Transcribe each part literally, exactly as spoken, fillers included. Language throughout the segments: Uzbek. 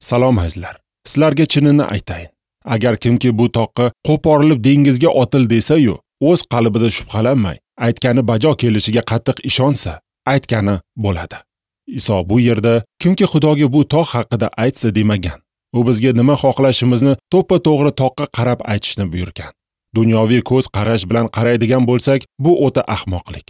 Salom azizlar. Sizlarga chinini aytayin. Agar kimki bu toqqa qo'porilib dengizga otil desa-yu, o'z qalbida shubhalanmay, aytgani bajo kelishiga qattiq ishonsa, aytgani bo'ladi. Iso bu yerda kimki Xudoga bu tog' haqida aytsa demagan. U bizga nima xohlashimizni to'ppa-to'g'ri toqqa qarab aytishni buyurgan. Dunyoviy ko'z qarash bilan qaraydigan bo'lsak, bu o'ta ahmoqlik.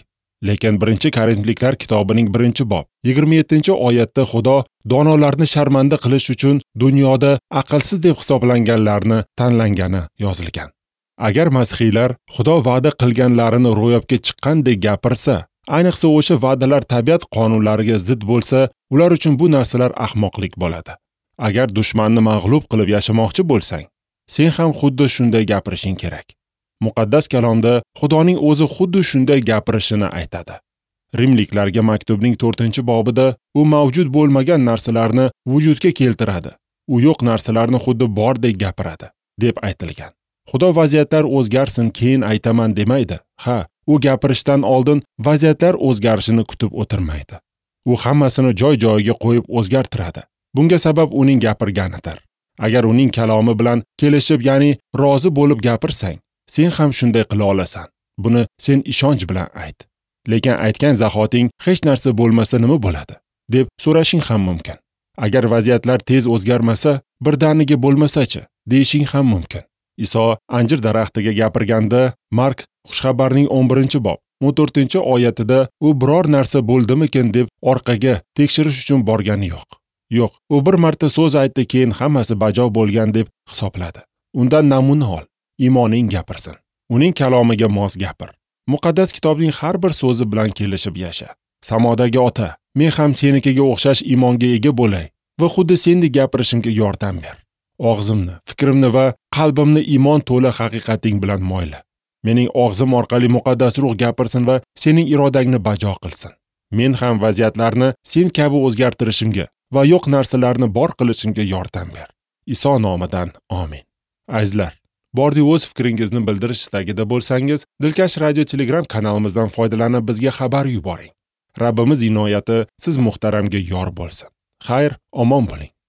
Lekin birinchi Korinfliklar kitobining birinchi bob yigirma yettinchi oyatda Xudo donolarni sharmanda qilish uchun dunyoda aqlsiz deb hisoblanganlarni tanlangani yozilgan. Agar masihiylar Xudo va'da qilganlarini ro'yobga chiqqandek gapirsa, ayniqsa o'sha va'dalar tabiat qonunlariga zid bo'lsa, ular uchun bu narsalar ahmoqlik bo'ladi. Agar dushmanni mag'lub qilib yashamoqchi bo'lsang, sen ham xuddi shunday gapirishing kerak. Muqaddas kalomda Xudoning o'zi xuddi shunday gapirishini aytadi. Rimliklarga maktubning to'rtinchi bobida u mavjud bo'lmagan narsalarni vujudga keltiradi. U yo'q narsalarni xuddi bordek gapiradi, deb aytilgan. Xudo vaziyatlar o'zgarsin, keyin aytaman demaydi. Ha, u gapirishdan oldin vaziyatlar o'zgarishini kutib o'tirmaydi. U hammasini joy-joyiga qo'yib o'zgartiradi. Bunga sabab uning gapirganidir. Agar uning kalomi bilan kelishib, ya'ni rozi bo'lib gapirsang, sen ham shunday qila olasan. Buni sen ishonch bilan ayt. Lekin aytgan zahoting hech narsa bo'lmasa nima bo'ladi, deb so'rashing ham mumkin. Agar vaziyatlar tez o'zgarmasa, birdaniga bo'lmasa-chi, deyishing ham mumkin. Iso anjir daraxtiga gapirganda, Mark xushxabarning o'n birinchi bob o'n to'rtinchi oyatida u biror narsa bo'ldimikin deb orqaga tekshirish uchun borgani yo'q. Yo'q, u bir marta so'z aytdi, keyin hammasi bajo bo'lgan deb hisobladi. Undan namuna ol, iymoning gapirsin. Uning kalomiga mos gapir. Muqaddas kitobning har bir so'zi bilan kelishib yasha. Samodagi ota, men ham senikiga o'xshash iymonga ega bo'lay va xuddi sendek gapirishimga yordam ber. Og'zimni, fikrimni va qalbimni iymon to'la haqiqating bilan moyla. Mening og'zim orqali muqaddas ruh gapirsin va sening irodangni bajo qilsin. Men ham vaziyatlarni sen kabi o'zgartirishimga va yo'q narsalarni bor qilishimga yordam ber. Iso nomidan amin. Azizlar, bordi o'z fikringizni bildirish istagida bo'lsangiz, Dilkash radio Telegram kanalimizdan foydalanib bizga xabar yuboring. Rabbimiz inoyati siz muhtaramga yor bo'lsin. Xayr, omon bo'ling.